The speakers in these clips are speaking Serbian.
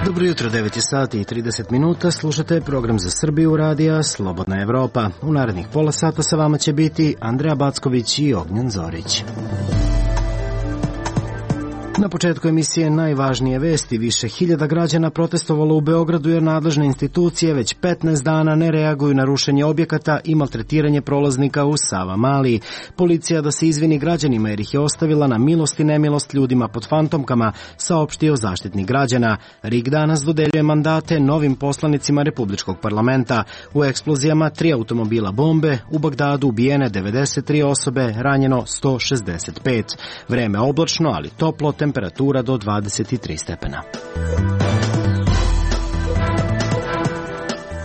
Dobro jutro, 9 sati i 30 minuta, slušate program za Srbiju radija Slobodna Evropa. U narednih pola sata sa vama će biti Andreja Backović i Ognjen Zorić. Na početku emisije najvažnije vesti. Više hiljada građana protestovalo u Beogradu jer nadležne institucije već 15 dana ne reaguju na rušenje objekata i maltretiranje prolaznika u Savamali. Policija da se izvini građanima jer ih je ostavila na milost i nemilost ljudima pod fantomkama, saopštio Zaštitnik građana. RIK danas dodeljuje mandate novim poslanicima Republičkog parlamenta. U eksplozijama 3 automobila bombe, u Bagdadu ubijene 93 osobe, ranjeno 165. Vreme oblačno, ali toplo, temperatura do 23 stepena.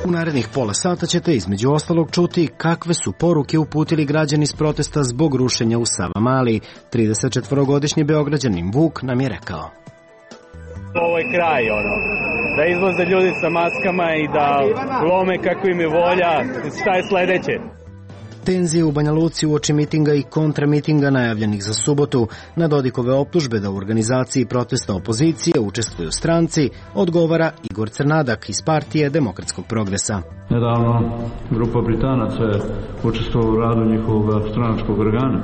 U narednih pola sata ćete između ostalog čuti kakve su poruke uputili građani s protesta zbog rušenja u Savamali. 34-godišnji Beograđanin Vuk nam je rekao: ovo je kraj, da izlaze ljudi sa maskama i da lome kako im je volja. Šta je sledeće? Tenzije u Banja Luci uoči mitinga i kontramitinga najavljenih za subotu. Na Dodikove optužbe da u organizaciji protesta opozicije učestvuju stranci odgovara Igor Crnadak iz partije Demokratskog progresa. Nedavno grupa Britanaca je učestvovala u radu njihovog stranačkog organa.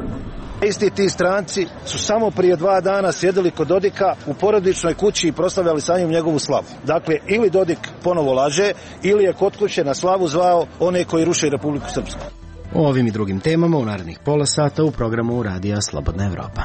Isti ti stranci su samo prije 2 dana sjedili kod Dodika u porodičnoj kući i proslavljali sa njim njegovu slavu. Dakle, ili Dodik ponovo laže, ili je kod kuće na slavu zvao one koji ruše Republiku Srpsku. O ovim i drugim temama u narednih pola sata u programu Radija Slobodna Evropa.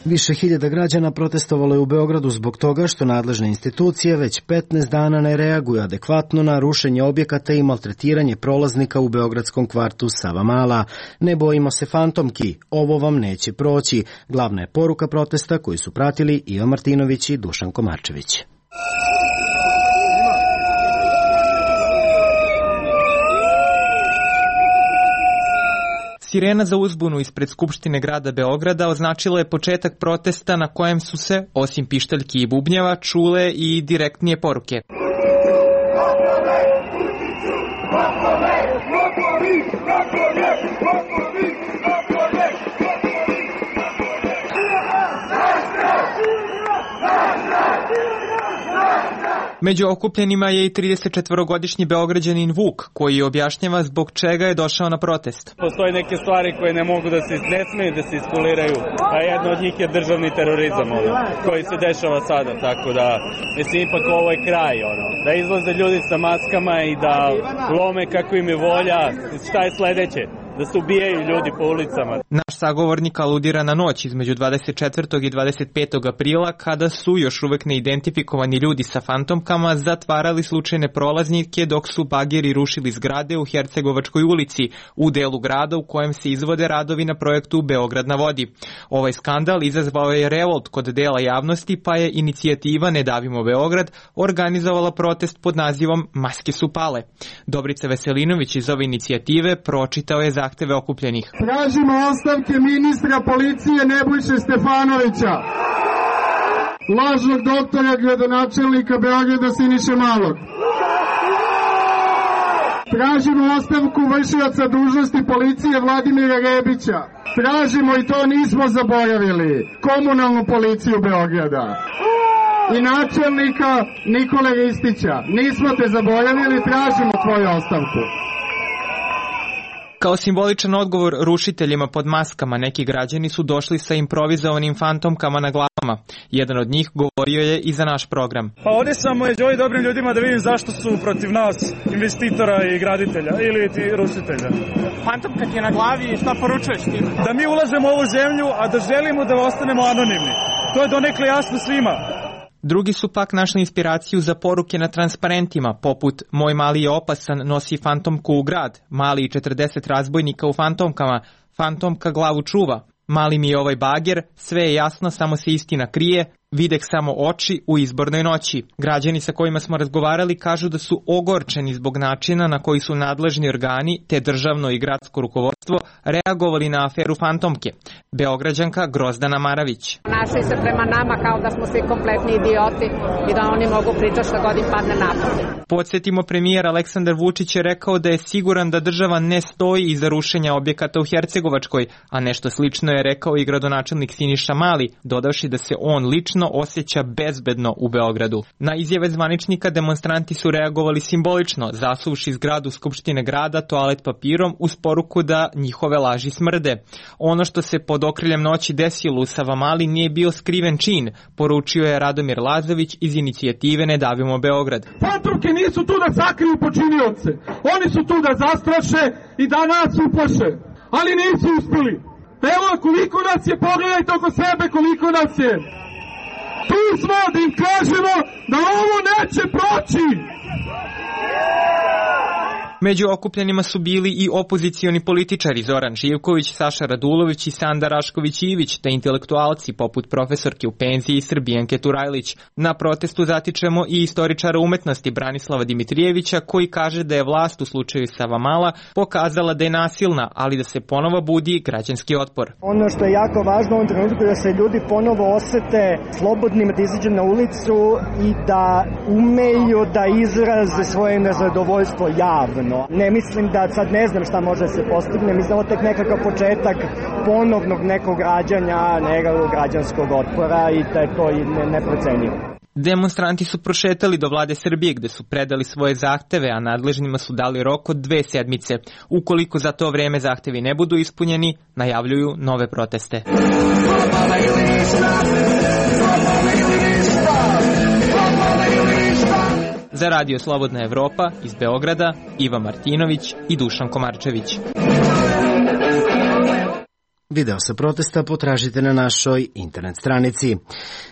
Više hiljada građana protestovalo je u Beogradu zbog toga što nadležne institucije već 15 dana ne reaguju adekvatno na rušenje objekata i maltretiranje prolaznika u beogradskom kvartu Savamala. Ne bojimo se fantomki, ovo vam neće proći. Glavna je poruka protesta koju su pratili Ivan Martinović i Dušan Komarčević. Sirena za uzbunu ispred Skupštine grada Beograda označila je početak protesta na kojem su se, osim pištaljki i bubnjeva, čule i direktnije poruke. Među okupljenima je i 34-godišnji Beograđanin Vuk, koji objašnjava zbog čega je došao na protest. Postoje neke stvari koje ne mogu da se ne smeju da se iskuliraju, a jedna od njih je državni terorizam koji se dešava sada, tako da mislim ipak ovo je kraj, da izlaze ljudi sa maskama i da lome kako im je volja. Šta je sledeće? Da se ubijaju ljudi po ulicama. Naš sagovornik aludira na noć između 24. i 25. aprila kada su još uvek neidentifikovani ljudi sa fantomkama zatvarali slučajne prolaznike dok su bageri rušili zgrade u Hercegovačkoj ulici, u delu grada u kojem se izvode radovi na projektu Beograd na vodi. Ovaj skandal izazvao je revolt kod dela javnosti, pa je inicijativa Ne davimo Beograd organizovala protest pod nazivom Maske su pale. Dobrica Veselinović iz ove inicijative pročitao je zahteve okupljenih. Tražimo ostavke ministra policije Nebojše Stefanovića, lažnog doktora gradonačelnika Beograda Siniše Malog. Tražimo ostavku vršioca dužnosti policije Vladimira Rebića. Tražimo, i to nismo zaboravili, komunalnu policiju Beograda i načelnika Nikole Ristića. Nismo te zaboravili, tražimo tvoju ostavku. Kao simboličan odgovor rušiteljima pod maskama, neki građani su došli sa improvizovanim fantomkama na glavama. Jedan od njih govorio je i za naš program. Pa ovdje sam među ovim dobrim ljudima da vidim zašto su protiv nas, investitora i graditelja ili ti rušitelja. Fantomka ti je na glavi i šta poručuješ ti? Da mi ulažemo u ovu zemlju, a da želimo da ostanemo anonimni. To je donekle jasno svima. Drugi su pak našli inspiraciju za poruke na transparentima, poput Moj mali je opasan, nosi fantomku u grad, Mali i 40 razbojnika u fantomkama, fantomka glavu čuva, Mali mi je ovaj bager, sve je jasno, samo se istina krije, videh samo oči u izbornoj noći. Građani sa kojima smo razgovarali kažu da su ogorčeni zbog načina na koji su nadležni organi te državno i gradsko rukovodstvo reagovali na aferu Fantomke. Beograđanka Grozdana Maravić. Našli se prema nama kao da smo svi kompletni idioti i da oni mogu pričati šta god im padne na pamet. Podsjetimo, premijer Aleksandar Vučić je rekao da je siguran da država ne stoji iza rušenja objekata u Hercegovačkoj, a nešto slično je rekao i gradonačelnik Siniša Mali, dodavši da se on lično osjeća bezbedno u Beogradu. Na izjave zvaničnika demonstranti su reagovali simbolično, zasuvši zgradu Skupštine grada toalet papirom uz poruku da njihove laži smrde. Ono što se pod okriljem noći desilo u Savamali nije bio skriven čin, poručio je Radomir Lazović iz inicijative Ne davimo Beograd. Fantomke nisu tu da sakriju počinioce, oni su tu da zastraše i da nas uplaše, ali nisu uspeli. Evo koliko nas je, pogledajte oko sebe koliko nas je. Tu smo da im kažemo da ovo neće proći. Među okupljenima su bili i opozicioni političari Zoran Živković, Saša Radulović i Sanda Rašković-Ivić, te intelektualci poput profesorke u penziji Srbijanke Turajlić. Na protestu zatičemo i istoričara umetnosti Branislava Dimitrijevića, koji kaže da je vlast u slučaju Savamala pokazala da je nasilna, ali da se ponovo budi građanski otpor. Ono što je jako važno u ovom trenutku da se ljudi ponovo osete slobodnim da izađu na ulicu i da umeju da izraze svoje nezadovoljstvo javno. Ne mislim da sad ne znam šta može da se postigne, mislim da ovo tek nekakav početak ponovnog nekog rađanja, nekog građanskog otpora i da je to neprocenjivo. Demonstranti su prošetali do vlade Srbije gde su predali svoje zahteve, a nadležnima su dali rok od 2 sedmice. Ukoliko za to vreme zahtevi ne budu ispunjeni, najavljuju nove proteste. Za Radio Slobodna Evropa iz Beograda, Iva Martinović i Dušan Komarčević. Video sa protesta potražite na našoj internet stranici.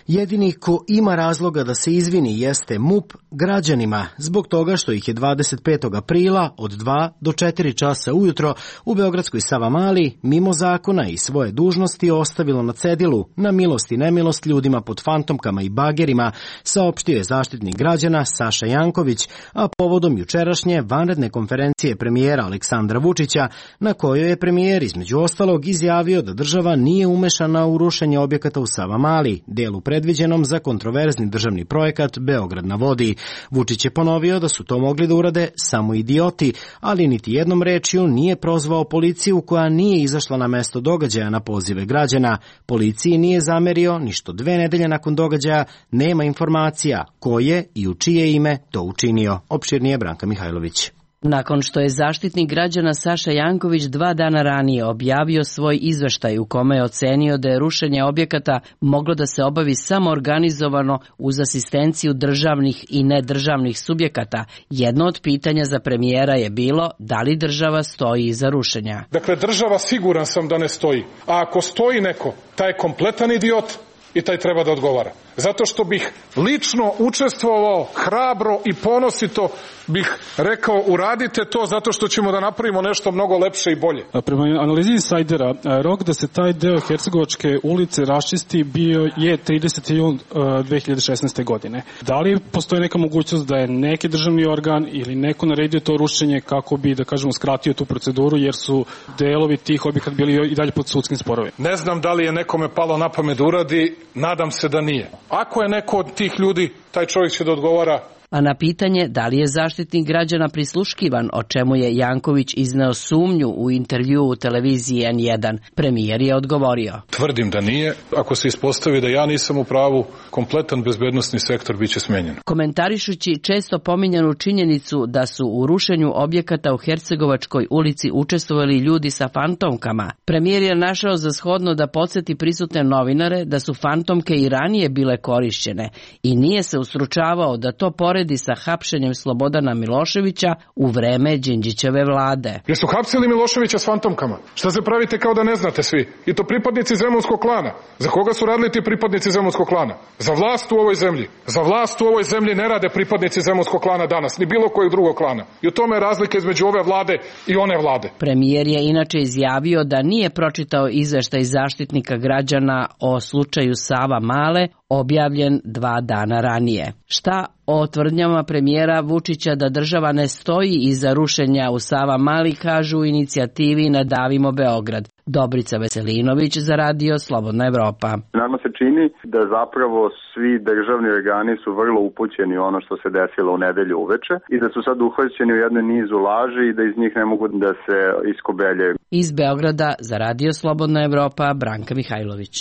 Jedini ko ima razloga da se izvini jeste MUP građanima, zbog toga što ih je 25. aprila od 2 do 4 časa ujutro u beogradskoj Savamali mimo zakona i svoje dužnosti ostavilo na cedilu, na milost i nemilost ljudima pod fantomkama i bagerima, saopštio je zaštitnik građana Saša Janković, a povodom jučerašnje vanredne konferencije premijera Aleksandra Vučića, na kojoj je premijer između ostalog izjavio da država nije umešana u rušenje objekata u Savamali, delu predviđenom za kontroverzni državni projekat Beograd na vodi. Vučić je ponovio da su to mogli da urade samo idioti, ali niti jednom rečju nije prozvao policiju koja nije izašla na mesto događaja na pozive građana. Policiji nije zamerio ni što 2 nedelje nakon događaja nema informacija ko je i u čije ime to učinio. Opširnije Branka Mihajlović. Nakon što je zaštitnik građana Saša Janković 2 dana ranije objavio svoj izveštaj u kome je ocenio da je rušenje objekata moglo da se obavi samo organizovano uz asistenciju državnih i nedržavnih subjekata, jedno od pitanja za premijera je bilo da li država stoji iza rušenja. Dakle, država siguran sam da ne stoji, a ako stoji neko, taj je kompletan idiot i taj treba da odgovara. Zato što bih lično učestvovao, hrabro i ponosito bih rekao uradite to zato što ćemo da napravimo nešto mnogo lepše i bolje. Prema analizi insajdera, rok da se taj deo Hercegovačke ulice raščisti bio je 30. jun 2016. godine. Da li postoji neka mogućnost da je neki državni organ ili neko naredio to rušenje kako bi, da kažemo, skratio tu proceduru jer su delovi tih objekata bili i dalje pod sudskim sporovima? Ne znam da li je nekome palo na pamet da uradi, nadam se da nije. Ako je neko od tih ljudi, taj čovjek će da odgovara. A na pitanje da li je zaštitnik građana prisluškivan, o čemu je Janković izneo sumnju u intervjuu u televiziji N1, premijer je odgovorio. Tvrdim da nije. Ako se ispostavi da ja nisam u pravu, kompletan bezbednosni sektor biće smenjen. Komentarišući često pominjanu činjenicu da su u rušenju objekata u Hercegovačkoj ulici učestvovali ljudi sa fantomkama, premijer je našao za shodno da podsjeti prisutne novinare da su fantomke i ranije bile korišćene i nije se ustručavao da to poredi sa hapšenjem Slobodana Miloševića u vreme Đinđićeve vlade. Jesu hapsili Miloševića s fantomkama? Šta se pravite kao da ne znate svi? I to pripadnici Zemunskog klana. Za koga su radili ti pripadnici Zemunskog klana? Za vlast u ovoj zemlji. Za vlast u ovoj zemlji ne rade pripadnici Zemunskog klana danas, ni bilo kojeg drugog klana. I u tome je razlika između ove vlade i one vlade. Premijer je inače izjavio da nije pročitao izveštaj zaštitnika građana o slučaju Savamale, objavljen 2 dana ranije. Šta o tvrdnjama premijera Vučića da država ne stoji iza rušenja u Savamali kažu u inicijativi Nadavimo Beograd? Dobrica Veselinović za Radio Slobodna Evropa. Nama se čini da zapravo svi državni organi su vrlo upućeni u ono što se desilo u nedelju uveče i da su sad uhvaćeni u jednu nizu laži i da iz njih ne mogu da se iskobeljaju. Iz Beograda za Radio Slobodna Evropa Branka Mihajlović.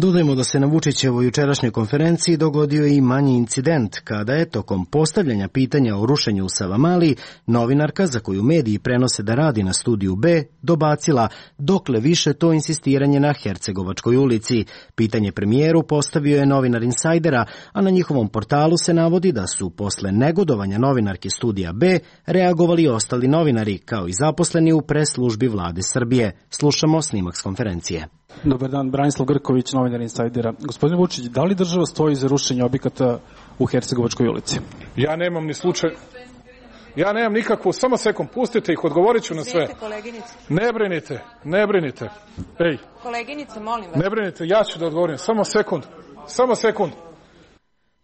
Dodajmo da se na Vučićevoj jučerašnjoj konferenciji dogodio i manji incident, kada je tokom postavljanja pitanja o rušenju u Savamali novinarka, za koju mediji prenose da radi na studiju B, dobacila dokle više to insistiranje na Hercegovačkoj ulici. Pitanje premijeru postavio je novinar Insajdera, a na njihovom portalu se navodi da su posle negodovanja novinarke studija B reagovali ostali novinari, kao i zaposleni u pres službi vlade Srbije. Slušamo snimak s konferencije. Dobar dan, Branislav Grković, novinar Insajdera. Gospodine Vučić, da li država stoji za rušenje objekata u Hercegovačkoj ulici? Ja nemam ni slučaj. Ja nemam nikakvu, samo sekund, pustite ih, odgovorit ću na sve. Ne brinite. Ej. Koleginice, molim vas. Ne brinite, ja ću da odgovorim, samo sekund.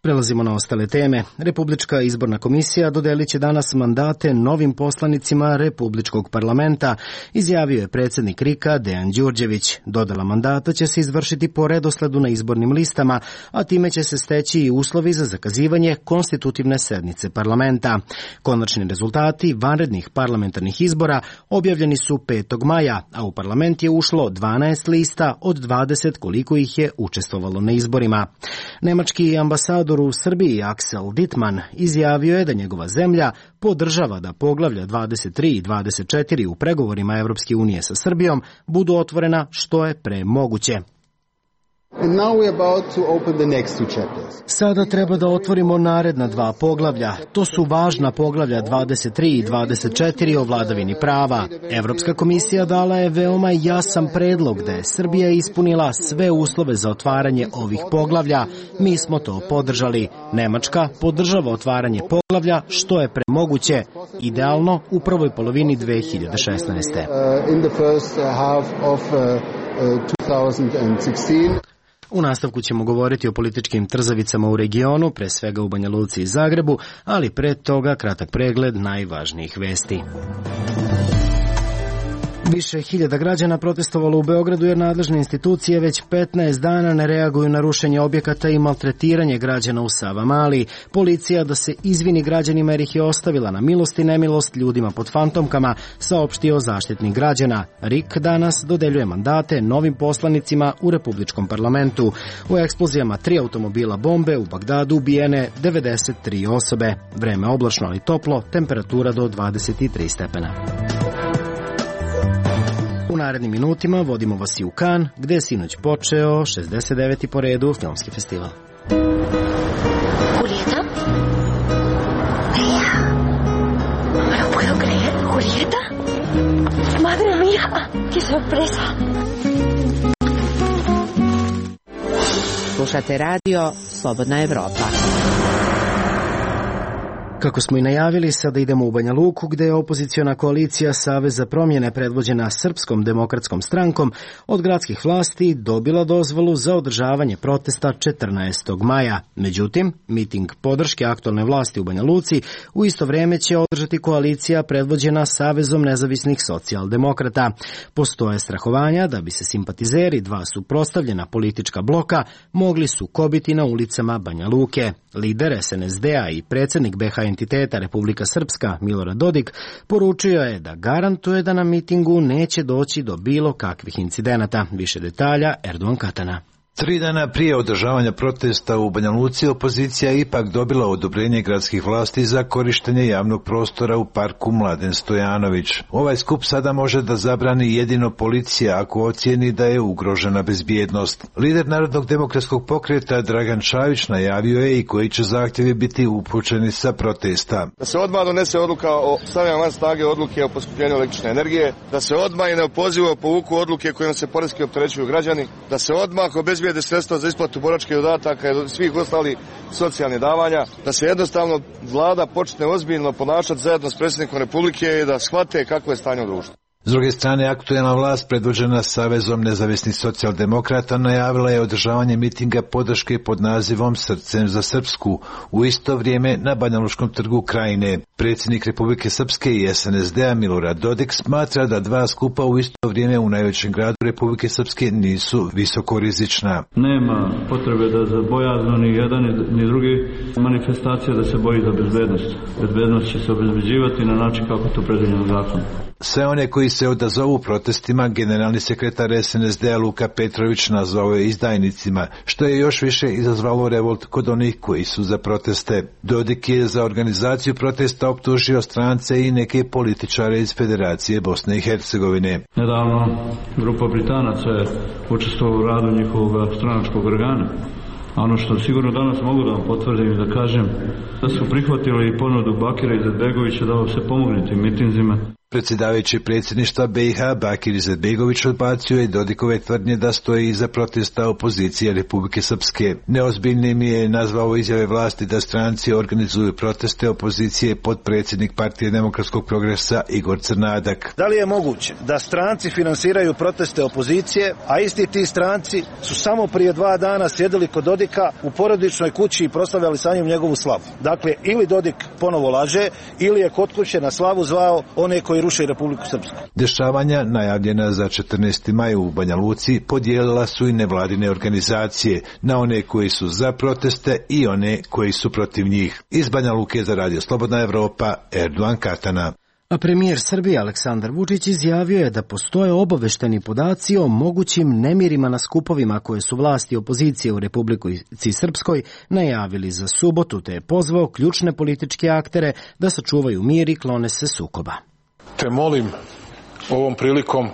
Prelazimo na ostale teme. Republička izborna komisija dodelit će danas mandate novim poslanicima Republičkog parlamenta, izjavio je predsjednik RIK-a Dejan Đurđević. Dodela mandata će se izvršiti po redosledu na izbornim listama, a time će se steći i uslovi za zakazivanje konstitutivne sednice parlamenta. Konačni rezultati vanrednih parlamentarnih izbora objavljeni su 5. maja, a u parlament je ušlo 12 lista od 20 koliko ih je učestvovalo na izborima. Nemački ambasador u Srbiji Axel Dittmann izjavio je da njegova zemlja podržava da poglavlja 23 i 24 u pregovorima Evropske unije sa Srbijom budu otvorena što je pre moguće. Sada treba da otvorimo naredna 2 poglavlja. To su važna poglavlja 23 i 24 o vladavini prava. Evropska komisija dala je veoma jasan predlog da je Srbija ispunila sve uslove za otvaranje ovih poglavlja. Mi smo to podržali. Nemačka podržava otvaranje poglavlja što je pre moguće, idealno u prvoj polovini 2016. U nastavku ćemo govoriti o političkim trzavicama u regionu, pre svega u Banja Luci i Zagrebu, ali pre toga kratak pregled najvažnijih vesti. Više hiljada građana protestovalo u Beogradu jer nadležne institucije već 15 dana ne reaguju na rušenje objekata i maltretiranje građana u Savamali. Policija da se izvini građanima jer ih je ostavila na milost i nemilost ljudima pod fantomkama, saopštio Zaštitnik građana. RIK danas dodeljuje mandate novim poslanicima u Republičkom parlamentu. U eksplozijama 3 automobila bombe u Bagdadu ubijene 93 osobe. Vreme oblačno ali toplo, temperatura do 23 stepena. U narednim minutima vodimo vas i u Kan, gde je sinoć počeo 69. po redu filmski festival. Julieta? María. No me lo puedo creer. Julieta. Madre mía. Qué sorpresa. Slušate radio Slobodna Evropa. Kako smo i najavili, sada idemo u Banja Luku, gde je opoziciona koalicija Savez za promjene predvođena Srpskom demokratskom strankom od gradskih vlasti dobila dozvolu za održavanje protesta 14. maja. Međutim, miting podrške aktualne vlasti u Banja Luci u isto vreme će održati koalicija predvođena Savezom nezavisnih socijaldemokrata. Postoje strahovanja da bi se simpatizeri 2 suprotstavljena politička bloka mogli sukobiti na ulicama Banja Luke. Lider SNSD-a i predsjednik BH entiteta Republika Srpska Milorad Dodik poručio je da garantuje da na mitingu neće doći do bilo kakvih incidenata. Više detalja Erdogan Katana. 3 dana prije održavanja protesta u Banja Luci opozicija je ipak dobila odobrenje gradskih vlasti za korištenje javnog prostora u parku Mladen Stojanović. Ovaj skup sada može da zabrani jedino policija ako ocijeni da je ugrožena bezbjednost. Lider Narodnog demokratskog pokreta Dragan Čavić najavio je i koji će zahtjevi biti upućeni sa protesta. Da se odmah donese odluka o stavljanju van snage odluke o poskupljenju električne energije, da se odmah i neopozivo povuku odluke kojima se poreski opterećuju građani, da se odmah obezbijede sredstva za isplatu boračkih dodataka i svih ostalih socijalnih davanja, da se jednostavno vlada počne ozbiljno ponašati zajedno s predsjednikom Republike i da shvate kakvo je stanje u društvu. S druge strane, aktuelna vlast predvođena Savezom nezavisnih socijaldemokrata najavila je održavanje mitinga podrške pod nazivom Srcem za Srpsku u isto vrijeme na Banjalučkom trgu Krajine. Predsjednik Republike Srpske i SNSD-a Milorad Dodik smatra da dva skupa u isto vrijeme u najvećem gradu Republike Srpske nisu visokorizična. Nema potrebe da za bojazno ni jedan ni drugi manifestacija da se boji za bezbednost. Bezbednost će se obezbeđivati na način kako to predviđeno zakonom. Sve one koji se odazovu protestima, generalni sekretar SNSD-a Luka Petrović nazvao je izdajnicima, što je još više izazvalo revolt kod onih koji su za proteste. Dodik je za organizaciju protesta optužio strance i neke političare iz Federacije Bosne i Hercegovine. Nedavno grupa Britanaca je učestvovala u radu njihovog stranačkog organa. A ono što sigurno danas mogu da vam potvrdim i da kažem, da su prihvatili ponudu Bakira Izetbegovića da se pomogne tim mitinzima. Predsjedavajući predsjedništva BiH Bakir Izetbegović odbacio je Dodikove tvrdnje da stoji iza protesta opozicije Republike Srpske. Neozbiljnim je nazvao izjave vlasti da stranci organizuju proteste opozicije potpredsjednik Partije demokratskog progresa Igor Crnadak. Da li je moguće da stranci finansiraju proteste opozicije, a isti ti stranci su samo prije 2 dana sjedili kod Dodika u porodičnoj kući i proslavljali sa njim njegovu slavu? Dakle, ili Dodik ponovo laže, ili je kod kuće na slavu zvao one koji ruše Republiku Srpsku. Dešavanja najavljena za 14. maj u Banja Luci podijelila su i nevladine organizacije na one koji su za proteste i one koji su protiv njih. Iz Banja Luke za Radio Slobodna Evropa, Erdogan Katana. A premijer Srbije Aleksandar Vučić izjavio je da postoje obavešteni podaci o mogućim nemirima na skupovima koje su vlasti opozicije u Republici Srpskoj najavili za subotu, te je pozvao ključne političke aktere da sačuvaju mir i klone se sukoba. Te molim ovom prilikom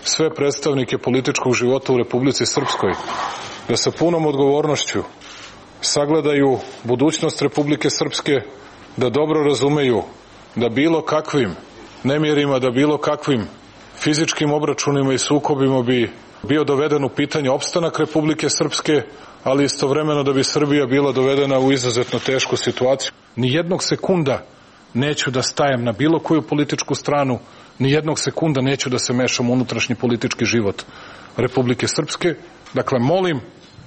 sve predstavnike političkog života u Republici Srpskoj da sa punom odgovornošću sagledaju budućnost Republike Srpske, da dobro razumeju da bilo kakvim nemirima, da bilo kakvim fizičkim obračunima i sukobima bi bio doveden u pitanje opstanak Republike Srpske, ali istovremeno da bi Srbija bila dovedena u izuzetno tešku situaciju. Ni jednog sekunda neću da stajem na bilo koju političku stranu, ni jednog sekunda neću da se mešam u unutrašnji politički život Republike Srpske. Dakle, molim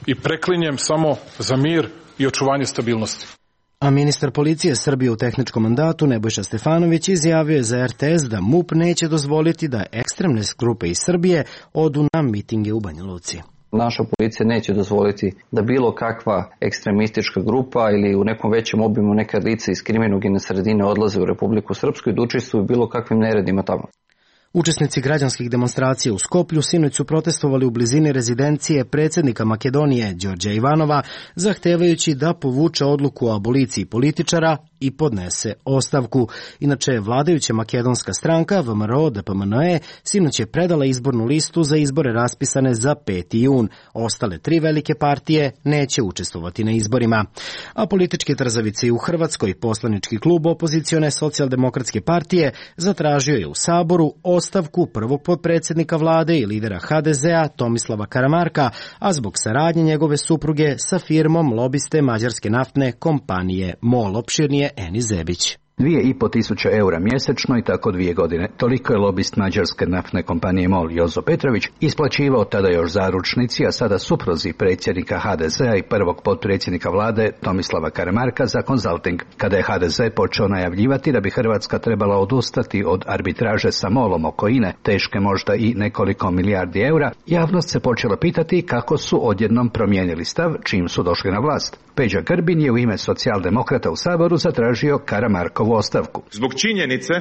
i preklinjem samo za mir i očuvanje stabilnosti. A ministar policije Srbije u tehničkom mandatu Nebojša Stefanović izjavio je za RTS da MUP neće dozvoliti da ekstremne grupe iz Srbije odu na mitinge u Banja Luci. Naša policija neće dozvoliti da bilo kakva ekstremistička grupa ili u nekom većem obimu neka lica iz kriminogene sredine odlaze u Republiku Srpsku i da učestvuju bilo kakvim neredima tamo. Učesnici građanskih demonstracija u Skoplju sinoć su protestovali u blizini rezidencije predsjednika Makedonije Đorđa Ivanova, zahtevajući da povuče odluku o aboliciji političara i podnese ostavku. Inače, vladajuća makedonska stranka VMRO DPMNE sinoć je predala izbornu listu za izbore raspisane za 5. jun. Ostale 3 velike partije neće učestvovati na izborima. A političke trzavice u Hrvatskoj, poslanički klub opozicione socijaldemokratske partije zatražio je u Saboru ostavku prvog potpredsjednika vlade i lidera HDZ-a Tomislava Karamarka, a zbog saradnje njegove supruge sa firmom lobiste mađarske naftne kompanije MOL. Opširnije Eni Zebić. 2.500 eura mjesečno i tako 2 godine. Toliko je lobist mađarske naftne kompanije MOL Jozo Petrović isplaćivao tada još zaručnici, a sada supruzi predsjednika HDZ-a i prvog potpredsjednika vlade Tomislava Karamarka za konzulting. Kada je HDZ počeo najavljivati da bi Hrvatska trebala odustati od arbitraže sa MOL-om oko INE, teške možda i nekoliko milijardi eura, javnost se počela pitati kako su odjednom promijenili stav čim su došli na vlast. Peđa Grbin je u ime socijaldemokrata u Saboru zatražio Karamarkovu ostavku. Zbog činjenice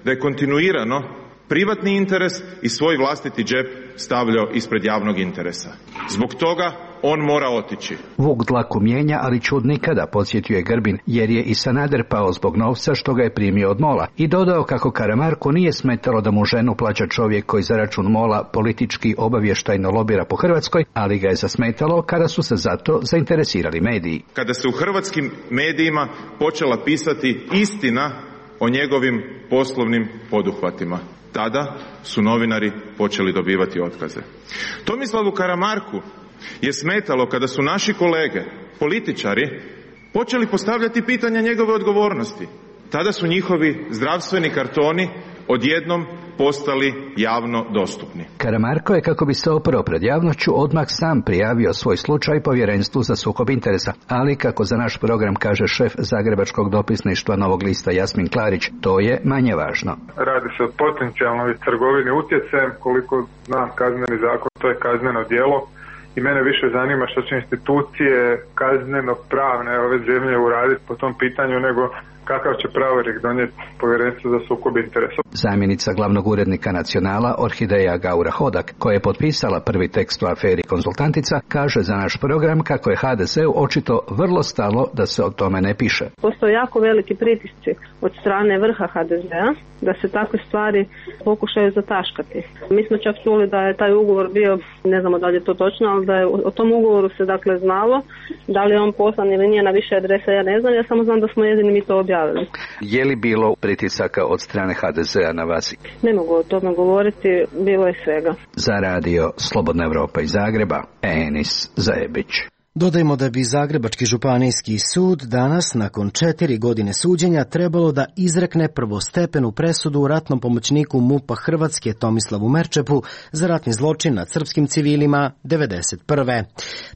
da je kontinuirano privatni interes i svoj vlastiti džep stavljao ispred javnog interesa. Zbog toga on mora otići. Vuk dlaku mijenja, ali čud nikada, podsjetio je Grbin, jer je i Sanader pao zbog novca što ga je primio od MOL-a i dodao kako Karamarku nije smetalo da mu ženu plaća čovjek koji za račun MOL-a politički obavještajno lobira po Hrvatskoj, ali ga je zasmetalo kada su se za to zainteresirali mediji. Kada se u hrvatskim medijima počela pisati istina o njegovim poslovnim poduhvatima, tada su novinari počeli dobivati otkaze. Tomislavu Karamarku je smetalo kada su naši kolege, političari, počeli postavljati pitanja njegove odgovornosti. Tada su njihovi zdravstveni kartoni odjednom postali javno dostupni. Karamarko je, kako bi se oprao pred javnošću, odmah sam prijavio svoj slučaj Povjerenstvu za sukob interesa, ali kako za naš program kaže šef Zagrebačkog dopisništva Novog lista Jasmin Klarić, to je manje važno. Radi se o potencijalnoj trgovini utjecajem, koliko zna kazneni zakon, to je kazneno djelo. I mene više zanima što će institucije kazneno-pravne ove zemlje uraditi po tom pitanju, nego kakav će pravorijek donijeti Povjerenstvo za sukob interesa. Zamjenica glavnog urednika Nacionala Orhideja Gaura Hodak, koja je potpisala prvi tekst u aferi Konzultantica, kaže za naš program kako je HDZ-u očito vrlo stalo da se o tome ne piše. Postoje jako veliki pritisci od strane vrha HDZ-a da se takve stvari pokušaju zataškati. Mi smo čak čuli da je taj ugovor bio, ne znamo da li je to točno, ali da je o tom ugovoru se dakle znalo, da li je on poslan ili nije na više adresa, ja ne znam, ja samo znam da smo jedini mi to objavili. Je li bilo pritisaka od strane HDZ-a na vas? Ne mogu o tome govoriti, bilo je svega. Za radio Slobodna Evropa iz Zagreba, Enis Zajebić. Dodajmo da bi Zagrebački županijski sud danas, nakon 4 godine suđenja, trebalo da izrekne prvostepenu presudu u ratnom pomoćniku MUP-a Hrvatske Tomislavu Merčepu za ratni zločin nad srpskim civilima 1991.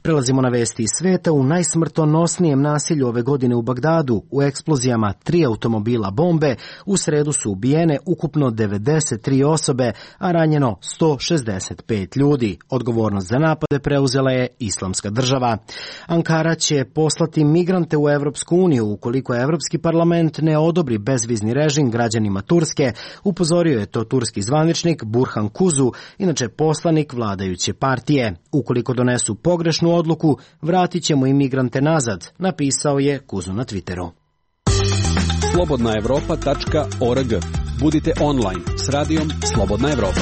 Prelazimo na vesti iz sveta. U najsmrtonosnijem nasilju ove godine u Bagdadu, u eksplozijama 3 automobila bombe, u sredu su ubijene ukupno 93 osobe, a ranjeno 165 ljudi. Odgovornost za napade preuzela je Islamska država. Ankara će poslati migrante u Evropsku uniju ukoliko Evropski parlament ne odobri bezvizni režim građanima Turske, upozorio je to turski zvaničnik Burhan Kuzu, inače poslanik vladajuće partije. Ukoliko donesu pogrešnu odluku, vratit ćemo imigrante nazad, napisao je Kuzu na Twitteru. Slobodnaevropa.org. Budite online s radijom Slobodna Evropa.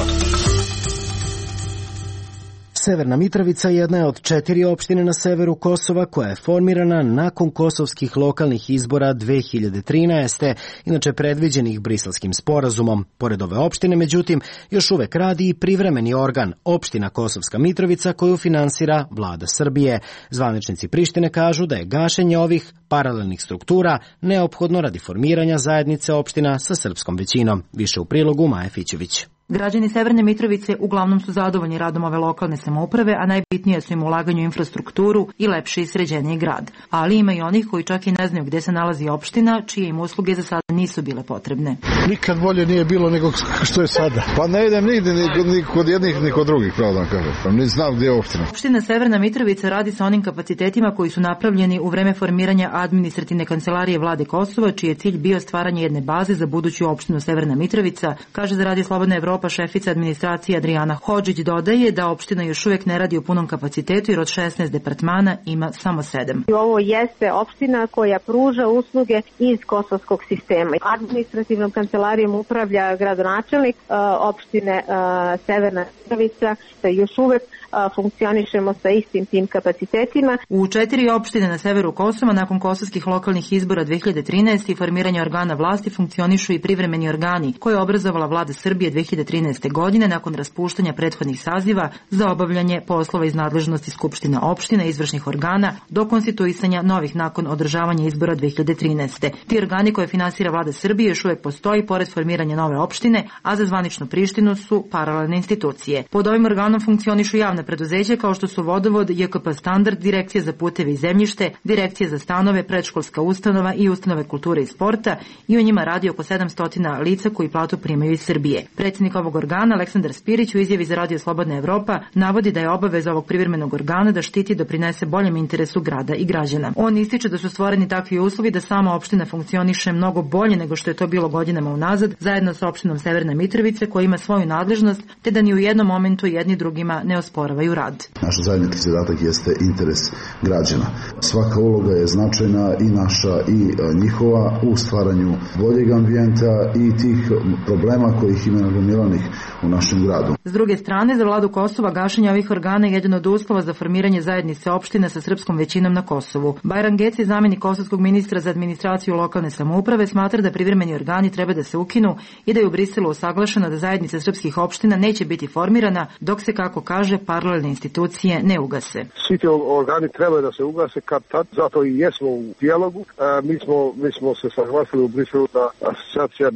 Severna Mitrovica jedna je od 4 opštine na severu Kosova koja je formirana nakon kosovskih lokalnih izbora 2013. inače predviđenih Briselskim sporazumom. Pored ove opštine, međutim, još uvek radi i privremeni organ, opština Kosovska Mitrovica, koju finansira vlada Srbije. Zvaničnici Prištine kažu da je gašenje ovih paralelnih struktura neophodno radi formiranja zajednice opština sa srpskom većinom. Više u prilogu Maje Fićević. Građani Severne Mitrovice uglavnom su zadovoljni radom ove lokalne samouprave, a najbitnije su im ulaganje u infrastrukturu i lepši i sređeniji grad. Ali ima i onih koji čak i ne znaju gde se nalazi opština, čije im usluge za sada nisu bile potrebne. Nikad bolje nije bilo nego što je sada. Pa ne idem nigde ni kod jednih ni kod drugih, pravo da kažem. Pa ne znam gdje je opština. Opština Severna Mitrovica radi sa onim kapacitetima koji su napravljeni u vreme formiranja administrativne kancelarije vlade Kosova, čiji je cilj bio stvaranje jedne baze za buduću opštinu Severna Mitrovica, kaže za radio Slobodna Evropa šefica administracije Adriana Hodžić. Dodaje da opština još uvijek ne radi u punom kapacitetu jer od 16 departmana ima samo 7. Ovo jeste opština koja pruža usluge iz kosovskog sistema. Administrativnom kancelarijom upravlja gradonačelnik opštine Severna Mitrovica, da još uvijek funkcionišemo sa istim tim kapacitetima. U 4 opštine na severu Kosova nakon kosovskih lokalnih izbora 2013. i formiranja organa vlasti funkcionišu i privremeni organi koje je obrazovala vlada Srbije 2013. godine nakon raspuštanja prethodnih saziva za obavljanje poslova iz nadležnosti skupština opština i izvršnih organa do konstituisanja novih nakon održavanja izbora 2013. Ti organi koje finansira vlada Srbije još uvijek postoji pored formiranja nove opštine, a za zvaničnu Prištinu su paralelne institucije. Pod ovim organom funkcionišu javna preduzeća kao što su Vodovod, JKP Standard, Direkcija za puteve i zemljište, Direkcija za stanove, predškolska ustanova i ustanove kulture i sporta i u njima radi oko 700 lica koji platu primaju iz Srbije. Predsjednik ovog organa, Aleksandar Spirić, u izjavi za radio Slobodna Evropa navodi da je obaveza ovog privremenog organa da štiti i doprinese boljem interesu grada i građana. On ističe da su stvoreni takvi uslovi da sama opština funkcioniše mnogo bolje nego što je to bilo godinama unazad, zajedno sa opštinom Severna Mitrovica koja ima svoju nadležnost, te da ni u jednom momentu jedni drugima ne osporavaju rad. Naš zajednički zadatak jeste interes građana. Svaka uloga je značajna i naša i njihova u stvaranju boljeg ambijenta i tih problema kojih ima nagomilanih u našem gradu. S druge strane, za vladu Kosova gašenje ovih organa je jedan od uslova za formiranje zajednice opština sa srpskom većinom na Kosovu. Bajram Geci, zamenik kosovskog ministra za administraciju lokalne samouprave, smatra da privremeni organi treba da se ukinu i da je u Briselu usaglašeno da zajednica srpskih opština neće biti formirana dok se, kako kaže, paralelne institucije ne ugase. Svi ti organi treba da se ugase kad tad, zato i jesmo u dijalogu. Mi smo se saglasili u Briselu da asocijacija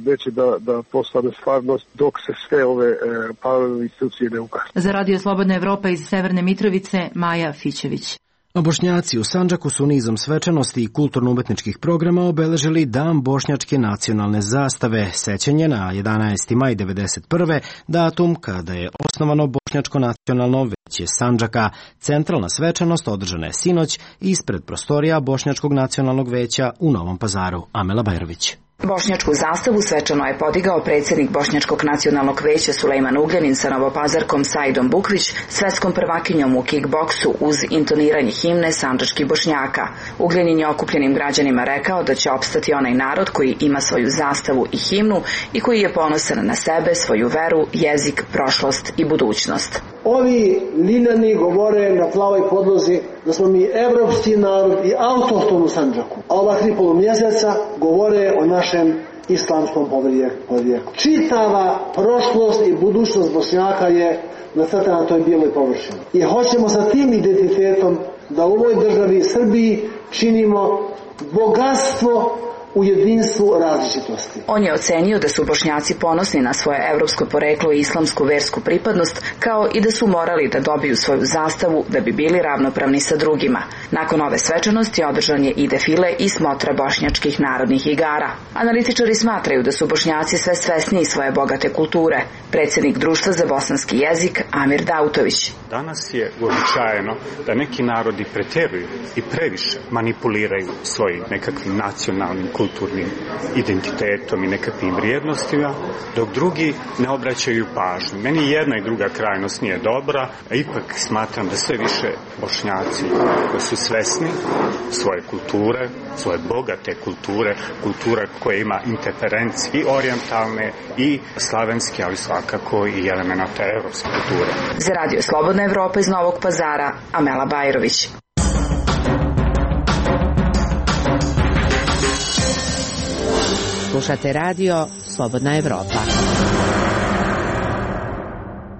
neće da postane stvarnost dok se sve ove paralelne institucije ne ugase. Za Radio Slobodna Evropa iz Severne Mitrovice, Maja Fićević. A Bošnjaci u Sandžaku su nizom svečanosti i kulturno-umetničkih programa obeležili Dan bošnjačke nacionalne zastave, sećanje na 11. maj 1991. datum kada je osnovano Bošnjačko nacionalno veće Sandžaka. Centralna svečanost održana je sinoć ispred prostorija Bošnjačkog nacionalnog veća u Novom Pazaru. Amela Bajrović. Bošnjačku zastavu svečano je podigao predsjednik Bošnjačkog nacionalnog veća Sulejman Ugljanin sa novopazarkom Saidom Bukvić, svetskom prvakinjom u kickboksu uz intoniranje himne sandžačkih Bošnjaka. Ugljanin je okupljenim građanima rekao da će opstati onaj narod koji ima svoju zastavu i himnu i koji je ponosan na sebe, svoju veru, jezik, prošlost i budućnost. Ovi liljani govore na plavoj podlozi da smo mi evropski narod i autohton u Sandžaku, a ova 3 polumjeseca govore o našem islamskom podrijetlu. Čitava prošlost i budućnost Bošnjaka je nacrtana na toj bijeloj površini. I hoćemo sa tim identitetom da u ovoj državi Srbiji činimo bogatstvo u jedinstvu različitosti. On je ocenio da su Bošnjaci ponosni na svoje evropsko poreklo i islamsku versku pripadnost, kao i da su morali da dobiju svoju zastavu da bi bili ravnopravni sa drugima. Nakon ove svečanosti održan je i defile i smotra bošnjačkih narodnih igara. Analitičari smatraju da su Bošnjaci sve svesniji svoje bogate kulture. Predsjednik Društva za bosanski jezik Amir Dautović. Danas je uobičajeno da neki narodi preteruju i previše manipuliraju svojim nekakvim nacionalnim kulturnim identitetom i nekakvim vrijednostima, dok drugi ne obraćaju pažnju. Meni jedna i druga krajnost nije dobra, a ipak smatram da sve više Bošnjaci koji su svesni svoje kulture, svoje bogate kulture, kultura koja ima interferencije i orijentalne i slavenske, ali svakako i elemenata evropske kulture. Za Radio Slobodna Evropa iz Novog Pazara, Amela Bajrović. Slušate radio Slobodna Evropa.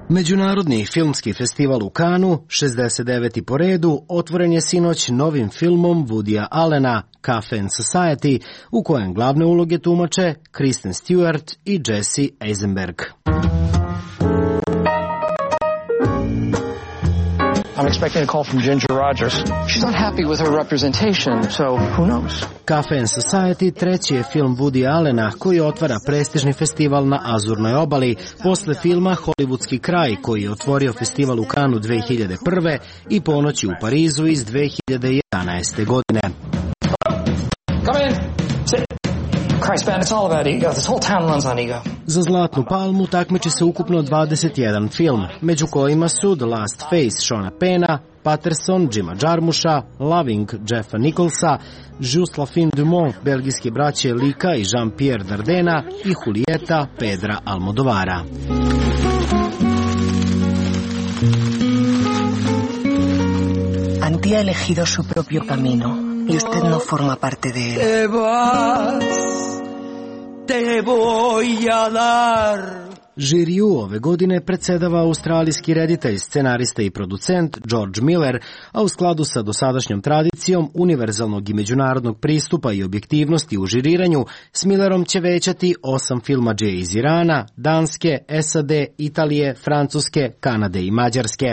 Međunarodni filmski festival u Kanu, 69. po redu, otvoren je sinoć novim filmom Woodya Allena, Cafe and Society, u kojem glavne uloge tumače Kristen Stewart i Jesse Eisenberg. I'm expecting a call from Ginger Rogers. She's not happy with her representation, so who knows? Cafe and Society treći je film Woodya Allena koji otvara prestižni festival na Azurnoj obali posle filma Hollywoodski kraj koji je otvorio festival u Kanu 2001. i Ponoći u Parizu iz 2011. godine. Come in. Sit. Christ, man, it's all about ego. This whole town runs on ego. Za Zlatnu palmu takmiči se ukupno 21 film, među kojima su The Last Face Seana Penna, Patterson Jima Jarmusha, Loving Jeffa Nicholsa, Just la fin du monde belgijske braće Lika i Jean-Pierre Dardena i Julieta Pedra Almodovara. Antía ha elegido su propio camino y usted no forma parte de él. Te vas, te voy a dar. Žiriju ove godine predsedava australijski reditelj, scenarista i producent George Miller, a u skladu sa dosadašnjom tradicijom univerzalnog i međunarodnog pristupa i objektivnosti u žiriranju, s Millerom će većati 8 filmadže iz Irana, Danske, SAD, Italije, Francuske, Kanade i Mađarske.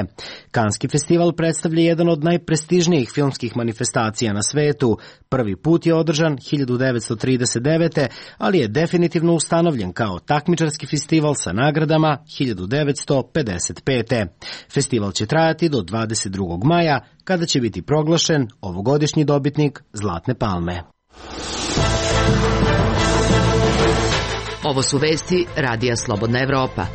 Kanski festival predstavlja jedan od najprestižnijih filmskih manifestacija na svetu. Prvi put je održan 1939. ali je definitivno ustanovljen kao takmičarski festival sa nagradama 1955. Festival će trajati do 22. maja, kada će biti proglašen ovogodišnji dobitnik Zlatne palme. Ovo su vesti Radija Slobodna Evropa.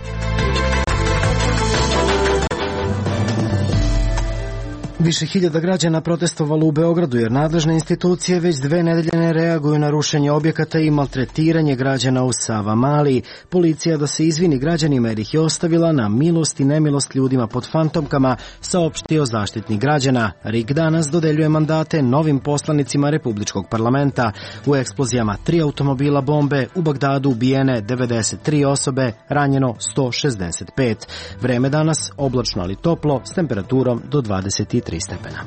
Više hiljada građana protestovalo u Beogradu jer nadležne institucije već 2 nedelje ne reaguju na rušenje objekata i maltretiranje građana u Savamali. Policija da se izvini građanima jer ih je ostavila na milost i nemilost ljudima pod fantomkama, saopštio Zaštitnik građana. RIK danas dodeljuje mandate novim poslanicima Republičkog parlamenta. U eksplozijama 3 automobila bombe, u Bagdadu ubijene 93 osobe, ranjeno 165. Vreme danas oblačno ali toplo s temperaturom do 23 stepena.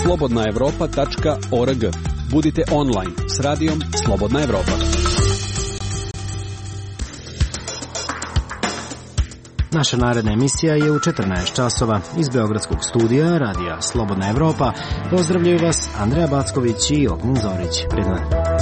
slobodnaevropa.org. Budite online s radijom Slobodna Evropa. Naša naredna emisija je u 14 časova. Iz Beogradskog studija Radija Slobodna Evropa pozdravljaju vas Andreja Backović i Ognjen Zorić. Prijatno.